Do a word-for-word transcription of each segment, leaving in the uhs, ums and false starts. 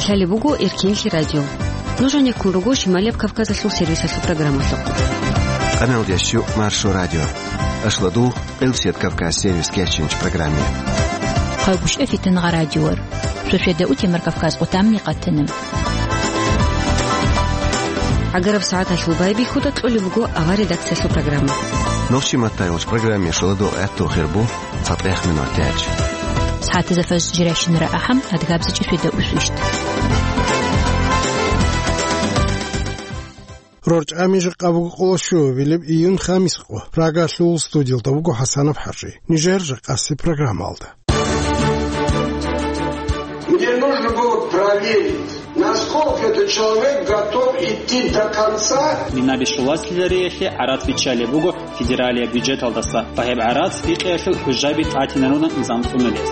Лъалеб буго Эркинлъи радио. Нуж гьанеккун руго Шималияб Кавказалъул сервисалъул программалъухъ. Къаналдиясчу Маршо радио. Ашладу Элсет Кавказ сервис кечинч программе. Хъайбушев Фитнагъа радиор. Шошеда утемар Кавказ къутамни къатана. ГӀагараб сагӀаталъул байбихьуда кьолеб буго авар редакциялъул программа. Нохчи маттайулч программе шоладо гӀатту хирбу. Фатех минутач. СагӀатазда фажр жиращинара ахӀам, адгабзичӀи фида усвищт. РорчӀами жакъа буго къоло щуабилеб июн хамис къо. Прагалъул студиялда буго ХӀасанов ХӀажи. Нижер жакъаси программалда. Мне нужно было проверить, насколько этот человек готов идти до конца. Минаби щуласлъилариялъе гӀарац биччалеб буго федералияб бюджеталдаса ва гьеб гӀарац бикъиялъул хӀужаби тӀатинарунаб низам цӀунулес.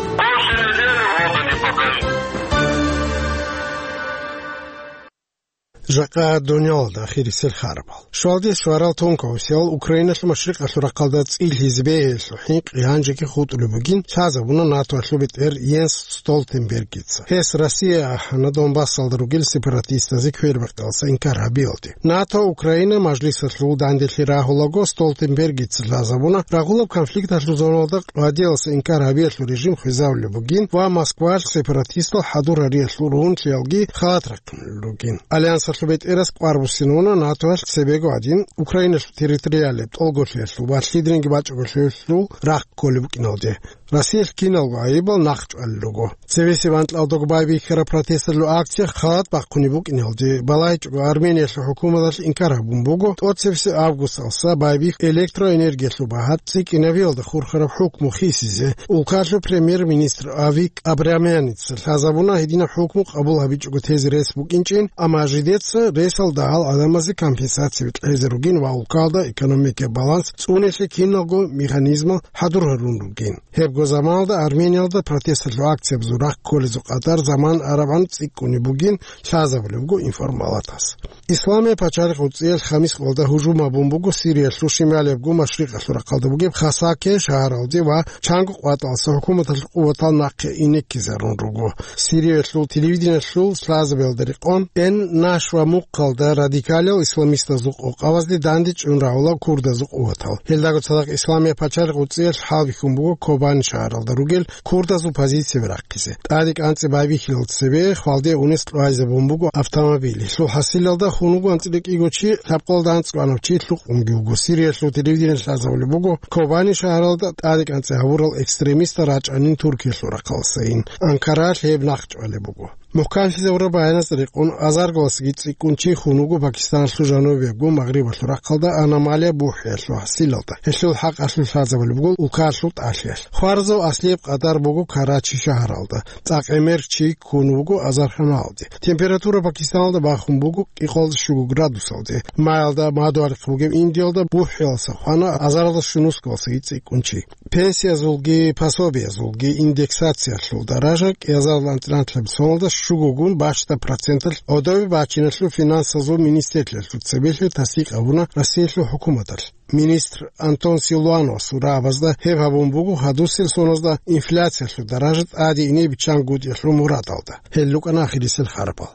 Жакъа дунялалда ахирисел харабал. Щвалде щварал тонкаусиял Украиналъул машрикъалъул рахъалда цӀилъизе бегьулъул хӀинкъи гьанжеги хутӀулеб бугин лъазабуна НАТОялъул бетӀер Йенс Столтенбергица. Гьес Россия ахӀана Донбассалда ругел сепаратистазе квербакъиялдаса инкар гьабиялде. НАТО Украина мажлисалъул данделъи рагьулаго Столтенбергица лъазабуна рагъулаб конфликталъул зоналда къвадиялдаса инкар гьабиялъул режим хвезавулеб бугин ва Москвалъ сепаратистал хӀадур гьариялъул ругьунлъиялги халат рахъиналъул ругин. Альянсалъул бетӀерас кӀвар буссинавуна НАТОялъ цебего гьадин Украиналъул территориалияб тӀолголъиялъул ва лъидринги бачӀаголъиялъул рахъ кколеб букӀиналде. Россиялъ киналго гӀайибал нахъчӀвалел руго. Цебесеб анкьалдаго байбихьараб протесталъул акция халат бахъунеб букӀиналде, балагьичӀого Армениялъул хӀукуматалъ инкар гьабун буго, тӀоцебесеб августалдаса байбихь электроэнергиялъул багьа цӀикӀкӀинабиялда хурхараб хӀукму хисизе. Улкалъул премьер-министр Авик Абрамяница лъазабуна гьединаб хӀукму къабул гьабичӀого тезе рес букӀинчӀин, амма жидеца ресалда гьал гӀадамазе компенсация кьезе ругин ва улкалда экономикаяб баланс цӀунелъе киналго механизмал хӀадур гьарун ругин. Гьебго заманалда Армениялда протесталъул акциябазул рахъ кколезул къадар заман арабгӀан цӀикӀкӀунеб бугин лъазабулеб буго информ палатас. Исламияб пачалихъ гӀуцӀиялъ хамис къоялда гьужум гьабун буго Сириялъул шималиябго машрикъалъул рахъалда бугеб Хасаке шагьаралде ва чанго къватӀалдаса хӀукуматалъул къуватал нахъе инеккизарун руго. Сириялъул телевидениялъул лъазабиялда рекъон, Эн-Нашва мухъалда радикалиял исламистазул къокъабазде дандечӀун рагьула курдазул къуватал. Гьелдаго цадахъ Исламияб пачалихъ гӀуцӀиялъ хӀалбихьун буго Кобани шагьаралда ругел курдазул позицияби рахъизе. ТӀаде кӀанцӀи байбихьилал цебе хвалде унес кьвайзабун буго автомобиль. Гьелъул хӀасилалда хун вуго анцӀила кӀиго чи, лъабкъоялда анцӀгоанав чи лъукъунги вуго. Сириялъул телевидениялъ лъазабулеб буго, Кобани шагьаралда тӀаде кӀанцӀи гьабурал экстремистал рачӀанин Туркиялъул рахъалдасайин. Анкаралъ гьеб нахъчӀвалеб буго. Мухьканлъизавураб баяназда рекъон, азаргаласги цӀикӀкӀун чи хун вуго Пакистаналъул жанубиябго магърибалъул рахъалда аномалия бухӀиялъул хӀасилалда. Гьелъул хӀакъалъулъ лъазабулеб буго улкаялъул тӀалъиялъ. Хваразул аслияб къадар буго Карачи шагьаралда. ЦӀакъ гӀемер чи хун вуго азарханалде. Температура Пакистаналда бахун буго кӀикъоялда щуго градусалде. Маялда мадугьалихъ бугеб Индиялда бухӀиялдаса хвана азаралда щунусгаласаги цӀикӀкӀун чи. Пенсиязулги пособиязулги индексациялъул даража кӀиазарилан анцӀила соналда щугогун бащдаб проценталъ гӀодобе бачиналъул финансазул министрлъиялъул цебелъи тасдикъ гьабуна Россиялъул хӀукуматалъ. Министр Антон Силуановасул рагӀабазда гьеб гьабун буго гьадусел соназда инфляциялъул даража тӀаде ине биччан гутӀиялъул мурадалда. Гьел рукӀана ахирисел харабал.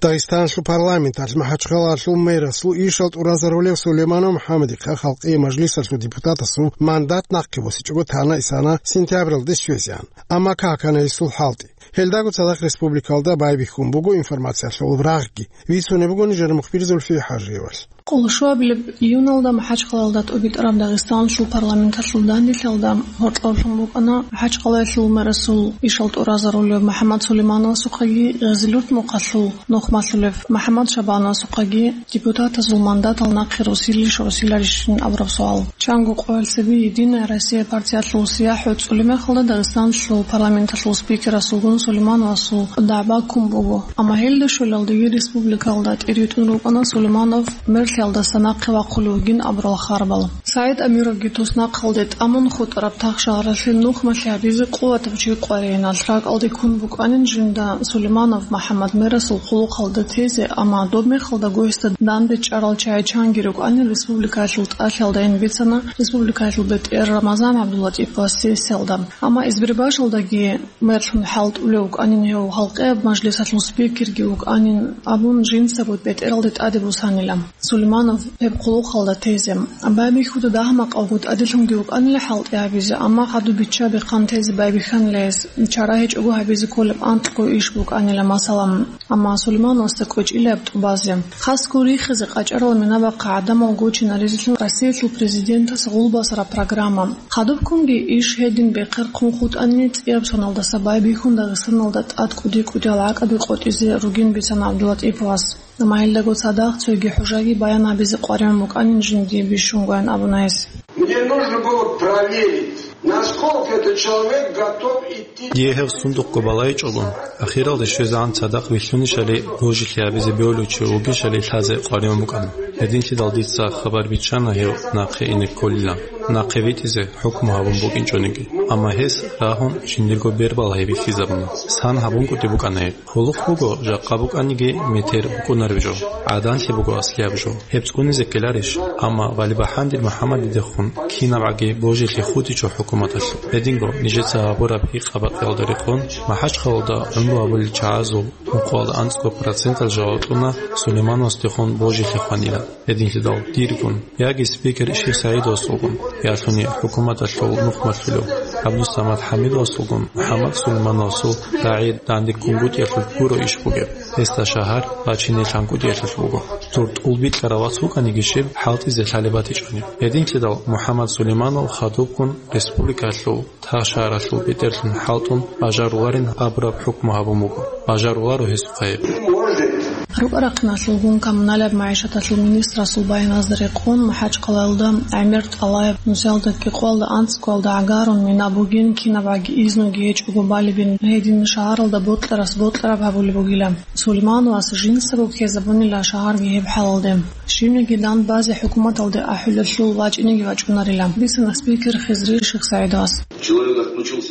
Дагъистаналъул парламенталъ МахӀачхъалаялъул мэрасул ишал тӀуразарулев Сулейманов МухӀаммадихъа Халкъиял мажлисалъул депутатасул мандат нахъе босичӀого тана-исана сентябралде щвезеян. Амма какана гьесул хӀалтӀи. Гьелдаго цадахъ республикалда байбихьун буго информациялъул рагъги. Бицунеб буго нижер мухбир Зульфия ХӀажиевалъ. Къоло щуабилеб июналда МахӀачхъалаялда тӀубитӀараб Дагъистаналъул парламенталъул данделъиялда гьоркьоблъун букӀана МахӀачхъалаялъул мэрасул ишал тӀуразарулев МухӀаммад Сулеймановасухъаги, Гъезилюрт мухъалъул нухмалъулев МухӀаммад Шабановасухъаги депутатазул мандатал нахъе росилищ росиларищин абураб суал. Чанго къоялъ цебе «Единая Россия» партиялъул сияхӀ гӀуцӀулеб мехалда Дагъистаналъул парламенталъул спикерасулгун Сулеймановасул дагӀба ккун буго. Амма гьелда щолелдеги республикалда тӀеритӀун рукӀана Сулейманов мерлъиялдаса нахъе вахъулев вугин абурал харбал. СагӀид Амировги туснахъалде тӀамун хутӀараб тахшагьаралъе нухмалъи гьабизе къуватаб чи къваригӀиналъ ракӀалде ккун букӀанин жинда Сулейманов МухӀаммад мерасул хъулухъалда тезе, амма доб мехалдаго гьесда данде чӀарал чагӀи чанги рукӀанин республикаялъул тӀалъиялдайин бицана республикаялъул бетӀер Рамазан ГӀабдуллатӀиповас сессиялда. Амма избирбашалдаги мерлъун хӀалтӀулев вукӀанин гьев, гьалкъияб мажлисалъул спикерги вукӀанин абун, жинцаго бетӀералде тӀаде бусанила Сулейманов гьеб хъулухъалда тезе. Байбихьуда дагьа-макъавго тӀаделъунги вукӀанила хӀалтӀи гьабизе, амма хадуб бичча-бихъан тезе байбихьанила гьес, чара гьечӀого гьабизе кколеб анкьго иш букӀанила, масала. Амма Сулеймановасда кӀвечӀила гьаб тӀубазе. Хасго рихизе къачӀарал минабахъа гӀадамал гучинаризелъун Россиялъул президентас гъулбасараб программа. Хадубккунги иш гьедин бехъерхъун хутӀани, цӀияб соналдаса байбихьун Дагъистаналда тӀад кӀуди-кӀудиял гӀакӀаби къотӀизе ругин бицана ГӀабдуллатӀиповас. Амма гьелдаго цадахъ цоги хӀужаги баян гьабизе къваригӀун букӀанин жиндие бищунгоян абуна гьес. Мне нужно было проверить, насколько этот человек готов идти. Дие гьев сундухъго балайчӀого, ахиралде щвезегӀан цадахъ вилълъунищали божилъи гьабизе бегьулев чи вугищали лъазе къваригӀун букӀана. Гьединлъидал дица хабар биччана гьев нахъе ине кколилан, нахъе витӀизе хӀукму гьабун букӀинчӀониги. Амма гьес рагьун жиндирго бербал гьей бихьизабуна. Сан гьабун кӀуди букӀана гьеб. Хъулухъ буго, жакъа букӀаниги метер букӀунареб жо, гӀаданлъи буго аслияб жо. Гьеб цӀунизе ккеларищ? Амма Валибагьандир МухӀаммадидехун кинабгӀаги божилъи хутӀичӀо хӀукуматалъул. Гьединго, нижеца гьабураб гьикъа-бакъиялда рекъон, МахӀачхъалалда гӀумру гьабулел чагӀазул мукъуялда анцӀго процентал жаваб кьуна Сулеймановасдехун божилъи хванилан. Гьединлъидал диргун, яги спикер Шихсагьидовасулгун, ялъуни хӀукуматалъул нухмалъулев ГӀабдусамад ХӀамидовасулгун МухӀаммад Сулеймановасул рагӀи дандеккунгутӀиялъулъ гуро иш бугеб, гьесда шагьар бачине лъанкӀутӀиялъулъ буго. Цо тӀулбикьарав вац вукӀаниги щиб, хӀалтӀизе лъалеб батичӀони. Гьединлъидал МухӀаммад Сулейманов хадубккун республикалъул тахшагьаралъул бетӀерлъун хӀалтӀун бажаруларин абураб хӀукму гьабун буго. Бажаруларо гьесухъа гьеб. РукӀа-рахъиналъулгун коммуналияб магӀишаталъул министрасул баяназда рекъон, МахӀачхъалаялда гӀемер тӀалаяб нусиялда кӀикъоялда анцӀгоялда гӀагарун мина бугин, кинабгӀаги изноги гьечӀого балебин, гьедин шагьаралда бокьарас бокьараб гьабулеб бугила. Сулеймановас жинцаго ккезабунила шагьарги гьеб хӀалалде. Щибниги дандбазе хӀукуматалде ахӀулелъул вачӀинеги вачӀунарила, бицана спикер Хизри Шихсагьидовас.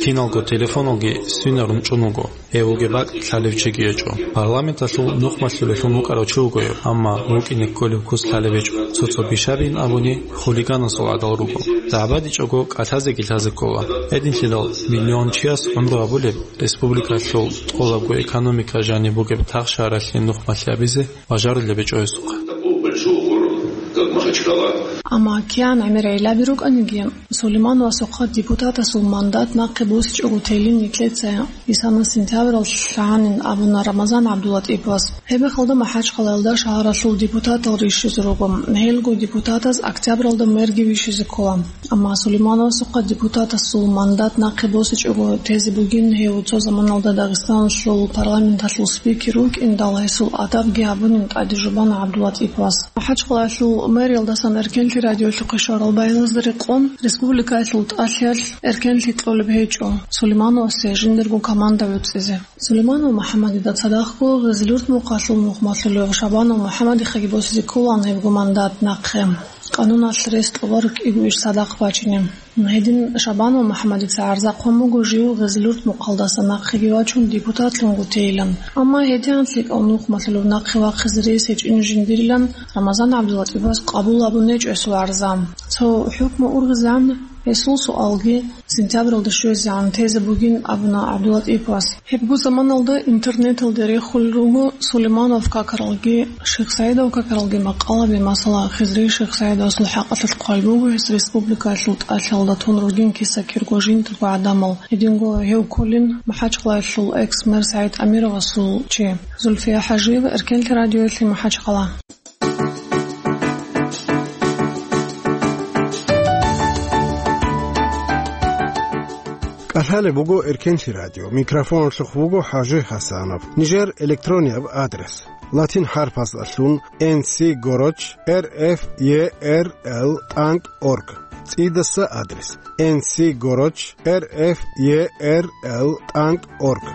Киналго телефоналги свинарун чӀун вуго. Гьев вугеб бакӀ лъалев чиги гьечӀо. Парламенталъул нухмалъулелъун вукӀарав чи вуго гьев, амма вукӀине кколеб кус лъалеб гьечӀо. Цо-цо бищабин абуни, хулиганасул гӀадал руго. ЗагӀбадичӀого кӀалъазеги лъазе ккола. Гьединлъидал миллион чияс гӀумру гьабулеб, республикалъул тӀолабго экономика жаниб бугеб тахшагьаралъе нухмалъи гьабизе бажарулеб гьечӀо гьесухъа. Такого большого города, как Махачкала. Амма кигӀан гӀемер гӀиллаби рукӀаниги, Сулеймановасухъа депутатасул мандат нахъе босичӀого телин нилъеца исана сентябралъ лъагьанин абуна Рамазан ГӀабдуллатӀиповас. Гьебмехалда МахӀачхъалаялда шагьаралъул депутатал рищизе руго. Гьелго депутатаз октябралда мерги вищизе ккола. Амма Сулеймановасухъа депутатасул мандат нахъе босичӀого тезе бугин гьев цо заманалда Дагъистаналъул парламенталъул спикер вукӀиндал, гьесул адабги гьабунин тӀаде жубана ГӀабдуллатӀиповас. МахӀачхъалаялъул мэриялдасан Эркенлъи радиолъухъе щварал баяназда рекъон, республикаялъул тӀалъиялъ Эркенлъи кьолеб гьечӀо Сулеймановасе жиндирго команда гӀуцӀизе. Сулейманов МухӀаммадида цадахъго Гъизилурт мухъалъул нухмалъулев Шабанов МухӀаммадихъаги босизе кколаан гьебго мандат нахъе, къануналъ рес кьоларо кӀиго иш цадахъ бачине. Гьедин Шабанов МухӀаммадица гӀарзахъун буго жив Гъизилурт мухъалдаса нахъеги вачун депутатлъунго тейилан. Амма гьедигӀан лъикӀав нухмалъулев нахъе вахъизе рес гьечӀин жиндирилан Рамазан ГӀабдуллатӀиповас къабул гьабун гьечӀо гьесул гӀарза. Цо хӀукму ургъизегӀан гьесул суалги сентябралда щвезегӀан тезе бугин абуна ГӀабдуллатӀиповас. Гьебго заманалда интернеталде рехулел руго Сулейманов какаралги, Шихсагьидов какаралги макъалаби, масала, Хизри Шихсагьидовасул хӀакъалъулъ хъвай буго гьес республикаялъул тӀалъиялда тун ругин киса-кирго жиндирго гӀадамал. Гьединго гьев кколин МахӀачхъалаялъул экс-мэр СагӀид Амировасул чи. Зульфия ХӀажиева, Эркенлъи радиоялъе, МахӀачхъала. КӀалъалеб буго Эркенлъи радио. Микрофоналъухъ вуго ХӀажи ХӀасанов. Нижер электронияб адрес: латин хӀарпаздалъун N C гороч R F E R L тӀанкӀ орг. ЦӀидаса адрес: N C гороч R F E R L тӀанкӀ орг.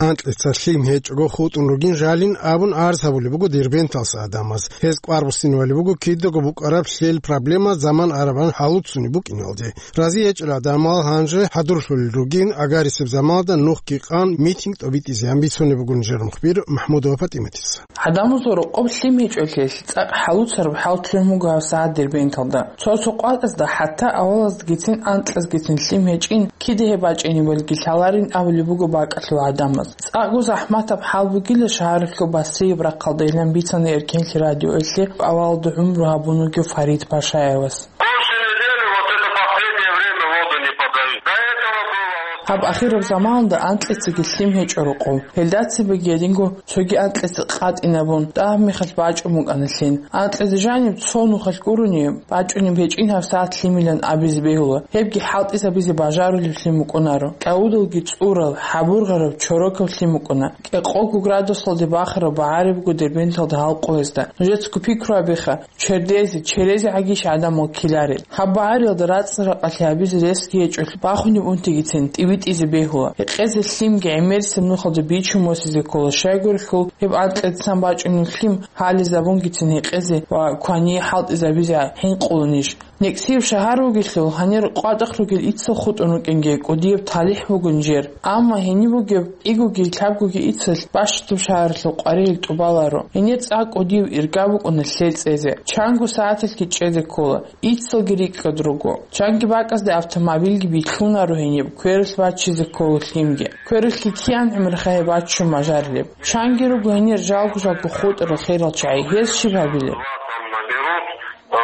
Анкьица лъим гьечӀого хутӀун ругин жалин абун арз гьабулеб буго Дербенталса гӀадамаз. Гьез кӀвар буссинавали буго кидаго букӀараб лъел проблема заман арабан гьалуцунеб букӀиналде. Рази гьечӀел гӀадамал гьанже хӀадурлъулел ругин, агарисеб заманалда нухги къан митинг тӀобитӀизеян бицунеб бугин жер мухбир Махмудова ПатӀиматица. ГӀадамазул рокъоб лъим гьечӀолъиялъ цӀакъ хӀалуцараб хӀал лъугӀун буго гьабсагӀат Дербенталда. Цо-цо къватӀазда хӀатта авалаздагицин анкьазгицин лъим гьечӀин, кида гьеб бачӀинебалги лъаларин абулеб буго бакӀалъул гӀадамаз. ЦӀакъго захӀматаб хӀал бугила шагьаралъул Басрияб рахъалдайилан бицана Эркенлъи радиоялъе авалалда гӀумру гьабун вугев Фарид Пашаевас. После недели, вот это последнее время воду не подают. До этого было вот Гьаб ахираб заманалда анкьицаги лъим гьечӀо рокъов. Гьелда цебеги гьединго цоги анкьица къатӀинабун, дагьаб мехалъ бачӀун букӀана лъим. Анкьизе жаниб цо нухалъ гурони, бачӀунеб гьечӀин гьабсагӀат лъимилан абизе бегьула, гьебги хӀалтӀизабизе бажарулев лъим букӀунаро. КӀавудалги цӀурал, хӀабургъараб, чорокав лъим букӀуна. КӀикъого градусалде бахараб багӀари буго Дербенталда гьал къоязда. Нужецаго пикру гьабеха, чердезе, черезе гӀагищ гӀадамал ккеларел. Гьаб багӀариялда рацӀцӀа-ракъалъи гьабизе ресги гьечӀолъ бахунеб унтигицин тӀибитӀизе бегьула. Гьекъезе лъимги гӀемерисеб нухалда бичун босизе ккола, щайгурелъул гьеб анкьидасан бачӀунеб лъим гьализабунгицин гьекъезе ва квание хӀалтӀизабизе хӀинкъуланищ. НекӀсияб шагьар вугелъул, гьанир къватӀахъ ругел иццал хутӀун рукӀинги кӀудияб талихӀ бугин жер. Амма гьениб бугеб кӀигоги лъабгоги иццалъ бащдаб шагьаралъул къваригӀел тӀубаларо. Гьенир цӀакъ кӀудияб ирга букӀуна лъел цӀезе. Чанго сагӀаталъги чӀезе ккола, иццалги рикӀкӀад руго. Чанги бакӀазде автомобилги билълъунаро гьениб, квералъ баччизе ккола лъимги. Квералъги киян гӀумерха гьеб баччун мажарилеб. Чанги руго гьенир жалго-жалго хутӀарал херал чагӀи, гьез щиб гьабилеб? Там наберут, а,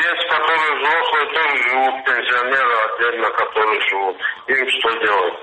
есть, которые взрослые тоже живут, пенсионеры отдельно, которые живут. Им что делать?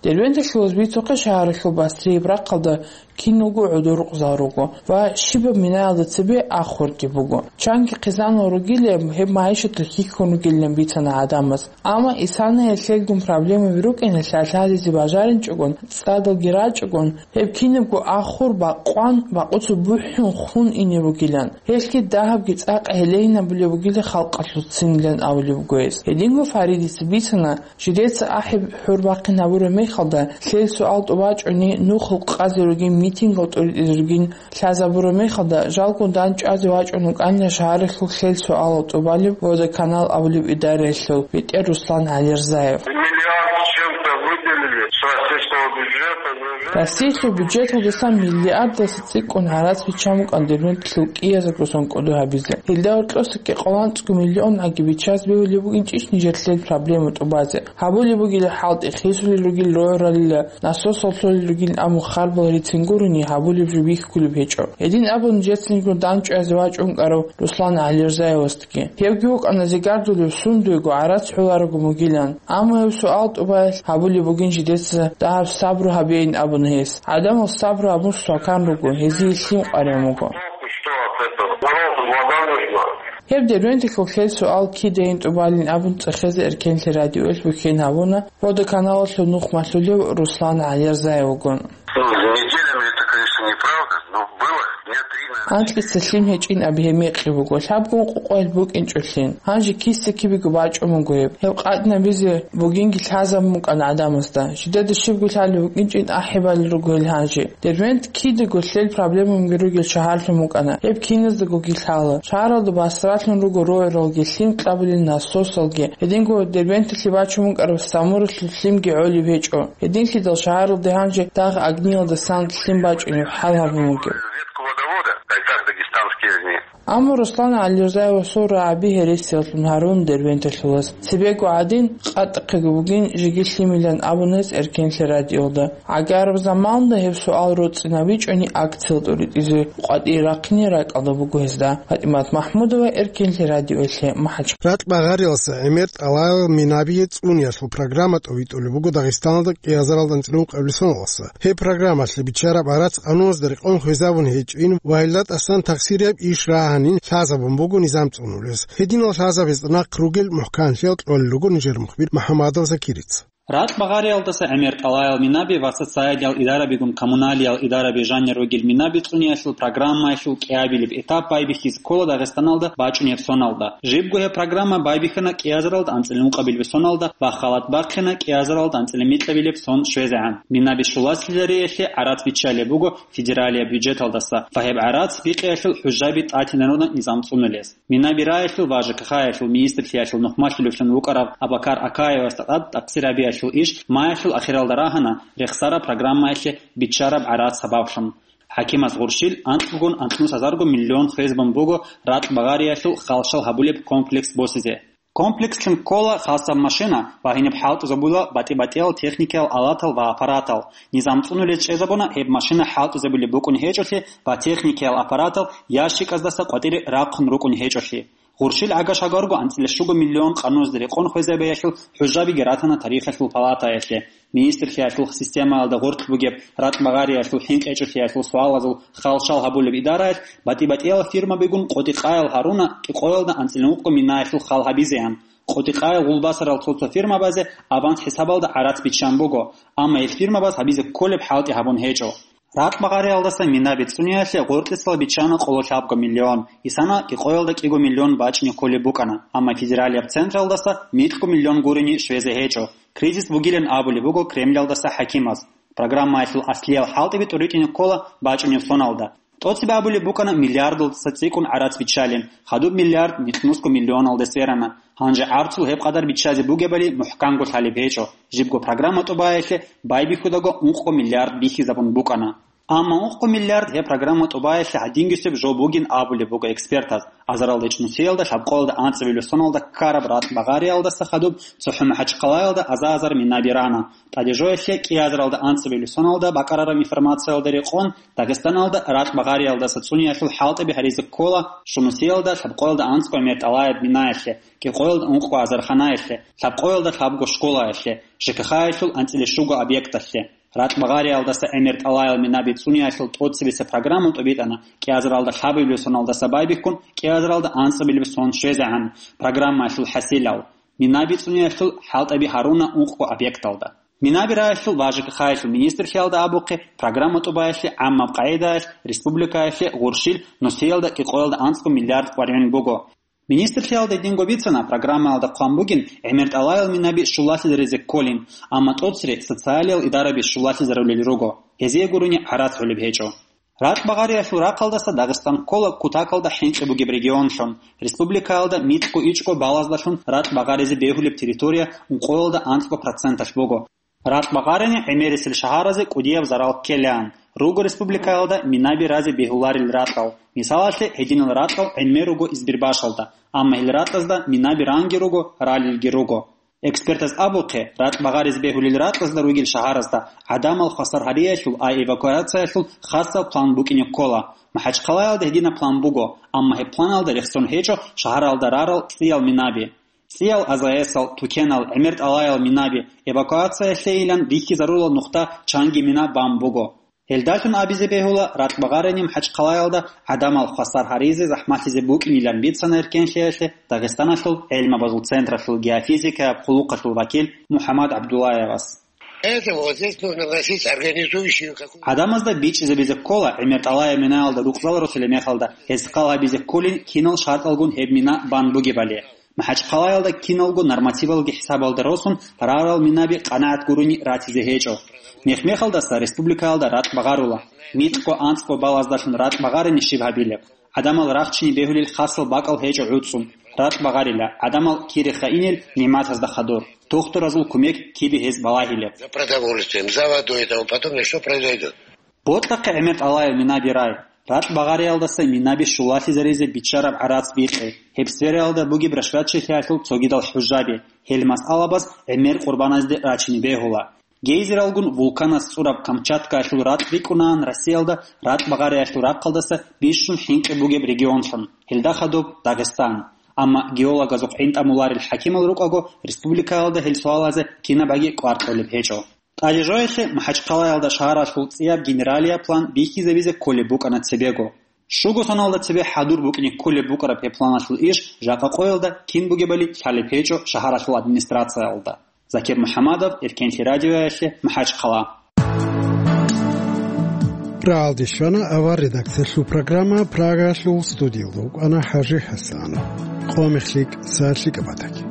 Дербенталъулаз бицухъе шагьаралъул Басрияб рахъалда киналго гӀодор рукъзал руго ва щибаб минаялда цебе ахурги буго. Чанги хъизанал ругилеб, гьеб магӀишаталъ хьихьун ругилан бицана гӀадамаз. Амма исана гьелъелгун проблемаби рукӀиналъ лъалъадизе бажаринчӀогон, цӀадалги рачӀогон, гьеб кинабго ахур бакъван, бакъуцеб бухӀун хун ине бугилан. Гьелъги дагьабги цӀакъ гьелейин абулеб бугила халкъалъул ццинилан абулеб буго гьес. Гьединго Фаридица бицана, жидеца ахӀи хӀурбахъин гьабураб мехалда, лъел суал тӀубачӀуни, нухал къазе ругин, митингал тӀуритӀизе ругин, лъазабураб мехалда, жалго дандчӀвазе вачӀун вукӀанила шагьаралъул лъел суалал тӀубалеб Водоканал абулеб идараялъул бетӀер Руслан ГӀалирзаев. Миллиард с чем-то выделили с российского бюджета, неужели? Россиялъул бюджеталдасан миллиардаса цӀикӀкӀун гӀарац биччан букӀан Дербенталъул кӀиязда русан кӀодо гьабизе. Гьелда гьоркьоса кӀикъоялда анцӀго миллион гӀаги биччазе бегьулеб букӀинчӀищ нижер лъел проблема тӀубазе. Гьабулеб бугила хӀалтӀи, хисулел ругел рогӀралила, насосал лъолел ругин абун харбал рицин гурони, гьабулеб жо бихьулеб гьечӀо. Гьедин абун жецинго дандчӀвазе вачӀун вукӀарав Руслан ГӀалирзаевасдаги. Гьевги вукӀана зигардулев сундуего гӀарац гӀоларого мугилан. Амма гьев суал тӀубаялъ гьабулеб бугин жидеца дагьаб сабру гьабейин абуна гьес. ГӀадамал сабру гьабун свакан руго, гьезие лъим къваригӀун буго. Что от этого? Народу вода нужна. Гьеб Дербенталъул лъел суал кидайин тӀубалин абун цӀехезе Эркенлъи радиоялъ бухьен гьабуна Водоканалалъул нух малъулев Руслан ГӀалирзаев вугун. Ну, неделями это, конечно, неправда, но было дня три, наверное. Анкьица лъим гьечӀин аб гьеб мекъи буго, лъабгун къукъоял букӀинчӀо лъим. Гьанже киса-кибего бачӀун буго гьеб. Гьеб къатӀинабизе бугинги лъазабун букӀана гӀадамазда. Жидеда щибго лъалеб букӀинчӀин ахӀи балел руго гьел гьанже. Дербент кидаго лъел проблемаги ругел шагьарлъун букӀана. Гьеб киназдагоги лъала. Шагьаралда басралъун руго рогӀралги, лъим кьабулел насосалги. Гьединго Дербенталъе бачун букӀараб Самуралъул лъимги гӀолеб гьечӀо. Гьединлъидал шагьаралде гьанже дагъ агнилалдасан лъим бачӀунеб хӀал гьабун бугеб. Разведку водовода, кайсак дагестанские огни. Амма Руслан ГӀалирзаевасул рагӀаби гьересияллъун гьарун Дербенталъулас. Цебего гӀадин, къатӀахъего бугин жеги лъимилан абуна гьес Эркенлъи радиоялда. ГӀагараб заманалда гьеб суал роцӀцӀинабичӀони акциял тӀуритӀизе къватӀир рахъине ракӀалда буго гьезда. ПатӀимат Махмудова, Эркенлъи радиоялъе, МахӀач. Ракь багъариялса гӀемер тӀалабал минабие цӀуниялъул программа тӀовитӀулеб буго Дагъистаналда кӀиазаралда анцӀила ункъабилеб соналдаса. Гьеб программалъе биччараб гӀарац къануналда рекъон хвезабун гьечӀин ва гьелда тӀасан тахсирияб иш рагьанин лъазабун буго низам цӀунулес. Гьединал лъазабазда нахъ ругел мухӀканлъиял кьолел руго нижер мухбир МухӀамадов Закирица. Ракьбагъариялдаса гӀемер тӀалаял минаби ва социалиял идарабигун коммуналиял идараби жанир ругел минаби цӀуниялъул программаялъул кӀиабилеб этап байбихьизе ккола Дагъистаналда бачӀунеб соналда. Жибго гьеб программа байбихьана кӀиазаралда анцӀила ункъабилеб соналда ва халат бахъина кӀиазаралда анцӀила микьабилеб сон щвезегӀан. Минаби щулалъизариялъе гӀарац биччалеб буго федералияб бюджеталдаса ва гьеб гӀарац бикъиялъул хӀужаби тӀатинарунаб низам цӀунулес. Минаби раялъул ва ЖКХ-ялъул министрлъиялъул нухмалъулевлъун вукӀарав Абакар Акаевасда тӀад тӀахъсир гьабиялъул иш маялъул ахиралда рагьана рехсараб программаялъе биччараб гӀарац сабаблъун. ХӀакимаз гъурщил анкьгун анкьнус гьазарго миллион хвезабун буго ракьбагъариялъул халщал гьабулеб комплекс босизе. Комплекслъун ккола хасаб машина ва гьениб хӀалтӀизабула батӀи-батӀиял техникиял алатал ва аппаратал. Низам цӀунулез чӀезабуна гьеб машина хӀалтӀизабулеб букӀун гьечӀолъи ва техникиял аппаратал ящиказдаса къватӀире рахъун рукӀун гьечӀолъи. Гъурщил гӀага-шагарго анцӀила щуго миллион къаннузде рекъон хвезабиялъул хӀужабиги ратана тарихалъул палатаялъе. Министрлъиялъул системаялда гъоркь бугеб ракьбагъариялъул хӀинкъичӀолъиялъул суалазул халщал гьабулеб идараялъ батӀи-батӀиял фирмабигун къотӀи-къаял гьаруна кӀикъоялда анцӀила ункъго минаялъул хал гьабизеян. КъотӀи-къаял гъулбасарал цо-цо фирмабазе аванс хӀисабалда гӀарац биччан буго, амма гьел фирмабаз гьабизе кколеб хӀалтӀи гьабун гьечӀо. Ракьбагъариялдаса минаби цӀуниялъе гъоркьисал биччана къоло лъабго миллион, исана кӀикъоялда кӀиго миллион бачӀине кколеб букӀана, амма федералияб централдаса микьго миллион гурони щвезе гьечӀо. Кризис бугилан абулеб буго Кремлялдаса хӀакимаз. Программаялъул аслиял хӀалтӀиби тӀуритӀине ккола бачӀунеб соналда. ТӀоцебе абулеб букӀана миллиардалдаса цӀикӀкӀун гӀарац биччалин, хадуб миллиард микьнусго миллионалде сверана. Гьанже гӀарцул гьеб къадар биччазе бугебали мухӀканго лъалеб гьечӀо. Жибго программа тӀубаялъе байбихьудаго ункъго миллиард бихьизабун букӀана. Амма ункъго миллиард гьеб программа тӀубаялъе гьадингисеб жо бугин абулеб буго экспертаз. Азаралда ичӀнусиялда лъабкъоялда анцӀабилеб соналда ккараб ракьбагъариялдаса хадуб цохӀо МахӀачхъалаялда аза-азар минаби рана. ТӀадежоялъе кӀиазаралда анцӀабилеб соналда бакӀарараб информациялда рекъон, Дагъистаналда ракьбагъариялдаса цӀуниялъул хӀалтӀиби гьаризе ккола щунусиялда лъабкъоялда анцӀго гӀемер тӀалаяб минаялъе, кӀикъоялда ункъго азарханаялъе, лъабкъоялда лъабго школаялъе, ЖКХ-ялъул анцӀила щуго объекталъе. Ракьбагъариялдаса гӀемер тӀалаял минаби цӀуниялъул тӀоцебесеб программа тӀубитӀана кӀиазаралда лъабабилеб соналдаса байбихьун кӀиазаралда анцӀабилеб сон щвезегӀан программаялъул хӀасилал. Минаби цӀуниялъул хӀалтӀаби гьаруна ункъго объекталда. Минаби раялъул ва ЖКХ-ялъул министрлъиялда абухъе, программа тӀубаялъе гӀаммаб къагӀидаялъ республикаялъе гъурщил нусиялда кӀикъоялда анцӀго миллиард къваригӀун буго. Министрлъиялда гьединго бицана, программаялда хъван бугин гӀемер тӀалаял минаби щулалъизаризе кколин, амма тӀоцере социалиял идараби щулалъизарулел руго, гьезие гурони гӀарац гӀолеб гьечӀо. Ракьбагъариялъул рахъалдаса Дагъистан ккола кутакалда хӀинкъи бугеб регионлъун. Республикаялда микьго ичӀго балаздалъун ракьбагъаризе бегьулеб территория ункъоялда анцӀго проценталъ буго. Ракьбагъарани гӀемерисел шагьаразе кӀудияб зарал ккелаан. Руго республикаялда минаби разе бегьуларел ракьал. Мисалалъе, гьединал ракьал гӀемер руго Избербашалда, амма гьел ракьазда минаби ранги руго, ралелги руго. Экспертаз абухъе, ракьбагъаризе бегьулел ракьазда ругел шагьаразда гӀадамал хвасар гьариялъул, ай эвакуациялъул хасал план букӀине ккола. МахӀачхъалаялда гьединаб план буго, амма гьеб планалда рехсон гьечӀо шагьаралда рарал цӀиял минаби. ЦӀиял АЗС-ал, тукенал, гӀемер тӀалаял минаби, эвакуациялъейилан бихьизарурал нухда чанги мина бан буго. Гьелдалъун абизе бегьула, ракьбагъарани МахӀачхъалаялда гӀадамал хвасар гьаризе захӀмалъизе букӀинилан бицана эркенлъиялъе Дагъистаналъул гӀелмабазул централъул геофизикаяб хъулухъалъул вакил МухӀаммад ГӀабдуллаевас. Это вот здесь нужно вносить организующую какую-то. ГӀадамазда бичӀчӀизабизе ккола, гӀемер тӀалаяб минаялда рукъзал росулеб мехалда, гьез хал гьабизе кколин кинал шартӀалгун гьеб мина бан бугебали. МахӀачхъалаялда киналго нормативалги хӀисабалда росун рарал минаби къанагӀат гурони ратизе гьечӀо. Мех-мехалдаса республикаялда ракь багъарула. Микьго-анцӀго балаздалъун ракь багъарани щиб гьабилеб? ГӀадамал рахчине бегьулел хасал бакӀал гьечӀо гӀуцӀун. Ракь багъарила, гӀадамал кире хайинел нигӀматазда хадур. Тухтуразул кумек кибе гьез балагьилеб? За продовольствием, за водой и тому подобное, что произойдет? Бокьахъе гӀемер тӀалаял минаби рай. Ракь багъариялдаса минаби щулалъизаризе биччараб гӀарац бикьи. Гьеб сфераялда бугеб рашватчилъиялъул цогидал хӀужаби. Гьел масъалабаз гӀемер къурбаназде рачине бегьула. Гейзералгун вулканас цӀураб Камчаткаялъул ракь рикӀкӀунаан Россиялда ракь багъариялъул рахъалдаса бищун хӀинкъи бугеб регионлъун, гьелда хадуб Дагъистан. Амма геологазухъ гӀинтӀамуларел хӀакимал рукӀаго, республикаялда гьел суалазе кинабаги кӀвар кьолеб гьечӀо. ТӀадежоялъе МахӀачхъалаялда шагьаралъул цӀияб генералияб план бихьизабизе кколеб букӀана цебего. Щуго соналда цебе хӀадур букӀине кколеб букӀараб гьеб планалъул иш жакъа къоялда кин бугебали лъалеб гьечӀо шагьаралъул администрациялда. Закир МухӀаммадов, Эркенлъи радиоялъе, МахӀачхъала. РагӀалде щвана авар редакциялъул программа, Прагаялъул студиялда вукӀана ХӀажи ХӀасан. Къо мехлъи, сагӀат лъикӀаб батаги.